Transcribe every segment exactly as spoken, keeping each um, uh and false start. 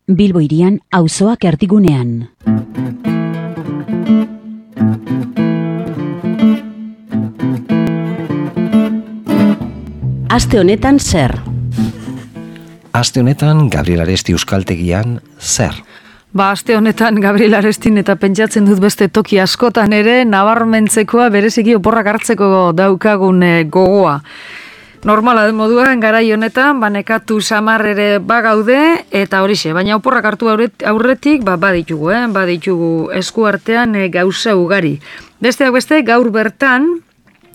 Bilbo hirian auzoak erdigunean. Aste honetan zer? Aste honetan Gabriel Aresti euskaltegian zer? Ba, aste honetan Gabriel Arestin eta pentsatzen dut beste toki askotan ere nabarmentzekoa bereziki oporrak hartzeko daukagun gogoa. Normala den moduan garai honetan banekatu samar ere bagaude eta horixe, baina oporrak hartu aurretik ba baditugu, eh? baditugu eskuartean e, gauza ugari. Besteak beste gaur bertan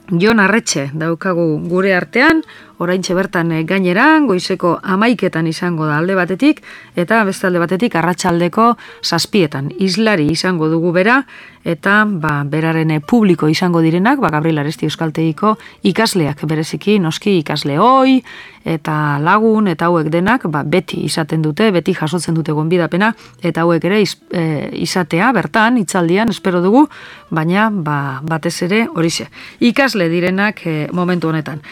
Jon Arretxe daukagu gure artean, oraintxe bertan gainera, goizeko hamaiketan izango da alde batetik, eta beste alde batetik arratsaldeko zazpietan. Islari izango dugu bera, eta ba, beraren publiko izango direnak, ba, Gabriel Aresti euskaltegiko ikasleak bereziki, noski ikasle hoi, eta lagun, eta hauek denak, ba, beti izaten dute, beti jasotzen dute gonbidapena, eta hauek ere iz, e, izatea, bertan, hitzaldian, espero dugu, baina ba, batez ere horixe. Ikasle direnak e, momentu honetan.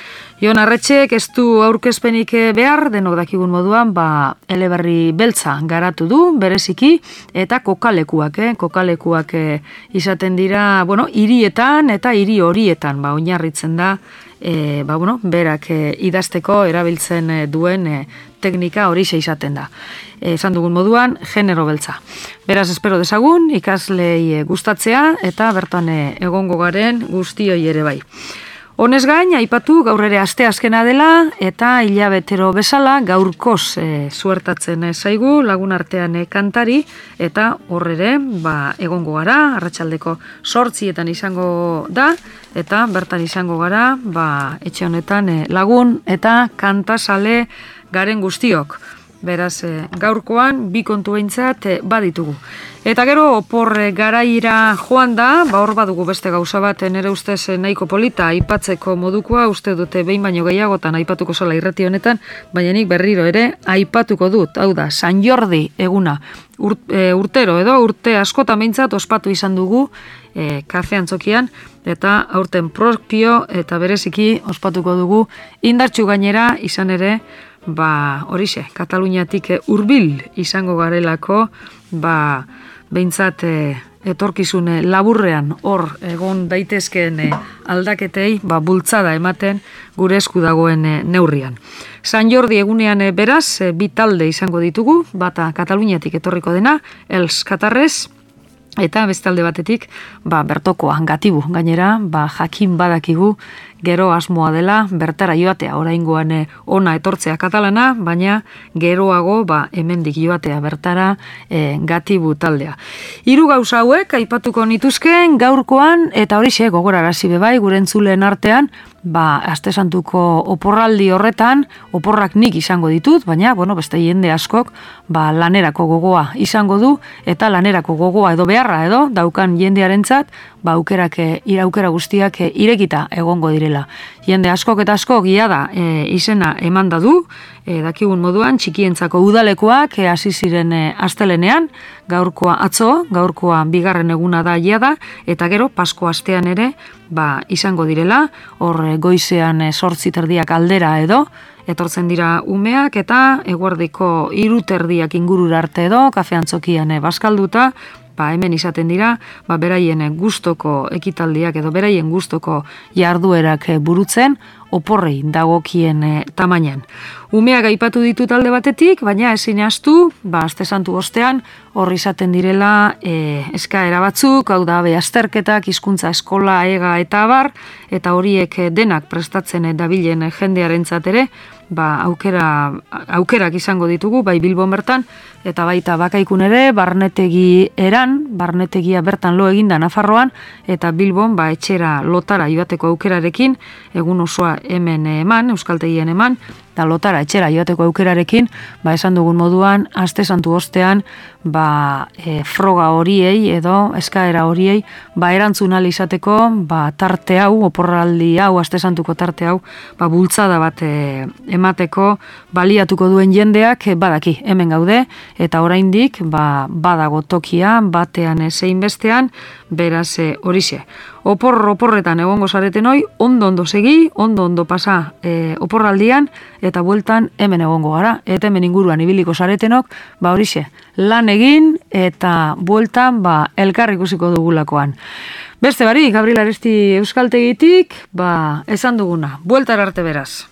Jon Arretxek ez du aurkezpenik behar, denok dakigun moduan, ba, eleberri beltza garatu du, bereziki, eta kokalekuak, eh? kokalekuak eh, izaten dira, bueno, hirietan eta hiri horietan, ba, oinarritzen da, eh, ba, bueno, berak eh, idazteko erabiltzen eh, duen eh, teknika horixe izaten da. Eh, esan dugun moduan, genero beltza. Beraz, espero dezagun, ikaslei eh, gustatzea, eta bertan eh, egongo garen guztioi ere bai. Honez gain, aipatu gaur ere aste azkena dela eta hilabetero bezala gaurkoz e, suertatzen e, zaigu lagun artean e, kantari eta horrere ba, egongo gara, arratsaldeko zortzietan izango da eta bertan izango gara ba, etxe honetan e, lagun eta kantasale garen guztiok. Beraz, e, gaurkoan bi kontu behintzat e, baditugu. Eta gero, opor garaira joan da, ba hor badugu beste gauza bat nere ustez nahiko polita aipatzeko modukoa, uste dute behin baino gehiagotan aipatuko zela irrati honetan, baina nik berriro ere aipatuko dut, hau da, San Jordi eguna, Ur, e, urtero edo urte askotan behintzat ospatu izan dugu e, kafe antzokian, eta aurten propio eta bereziki ospatuko dugu indartsu gainera izan ere, ba horixe, Kataluniatik hurbil izango garelako, ba behintzat e, etorkizune laburrean hor egon daitezkeen e, aldaketei ba, bultzada ematen gure esku dagoen e, neurrian. San Jordi egunean e, beraz, e, bi talde izango ditugu, bata Kataluniatik etorriko dena, Els Katarrez, eta beste alde batetik, ba, bertokoa, gatibu, gainera, ba, jakin badakigu, gero asmoa dela, bertara joatea, oraingoan e, ona etortzea katalana, baina geroago, ba, hemendik joatea bertara e, gatibu taldea. Hiru gauza hauek, aipatuko nituzken, gaurkoan, eta horixe, gogorarazi bebai, gure entzuleen artean, ba, aste santuko oporraldi horretan, oporrak nik izango ditut, baina, bueno, beste jende askok, ba, lanerako gogoa izango du, eta lanerako gogoa edo beharra edo, daukan jendearentzat, ba, aukerak, iraukera guztiak irekita egongo direla. Jende askok eta askok ia da e, izena emanda du, e, dakigun moduan, txikientzako udalekoak e, hasi ziren e, astelenean, gaurkoa atzo, gaurkoa bigarren eguna da ia da, eta gero Pasko astean ere, ba, izango direla, hor goizean e, zortzi terdiak aldera edo, etortzen dira umeak eta eguerdiko hiru terdiak ingurura arte edo, kafe antzokian e, bazkalduta, ba, hemen izaten dira, ba, beraien gustoko ekitaldiak edo beraien gustoko jarduerak burutzen, oporrei dagokien e, tamainan. Umeak aipatu ditu talde batetik, baina ezin ahaztu, ba, aste santu ostean, hor izaten direla e, eskaera batzuk, hau da, be azterketak, hizkuntza eskola, ega eta abar, eta horiek denak prestatzen dabilen jendearentzat ere, ba, aukera, aukerak izango ditugu, bai Bilbon bertan, eta baita Bakaikun ere, barnetegi eran, barnetegia bertan lo eginda Nafarroan, eta Bilbon ba, etxera lotara joateko aukerarekin, egun osoa hemen eman, euskaltegien eman, eta lotara etxera joateko aukerarekin, ba, esan dugun moduan, aste santu ostean, ba, e, froga horiei edo eskaera horiei ba, erantzun ahal izateko ba, tarte hau, oporraldi hau, aste santuko tarte hau, ba, bultzada bat e, emateko baliatuko duen jendeak e, badaki hemen gaude, eta oraindik ba, badago tokia, batean zein bestean, beraz e, horixe. Opor, oporretan egongo zareten hoi, ondo ondo segi, ondo ondo pasa e, oporraldian, eta bueltan hemen egongo gara, eta hemen inguruan ibiliko zaretenok, ba horixe, lan egin, eta bueltan ba, elkar ikusiko dugulakoan. Beste bari, Gabriel Aresti Euskaltegitik, ba, esan duguna, bueltar arte beraz.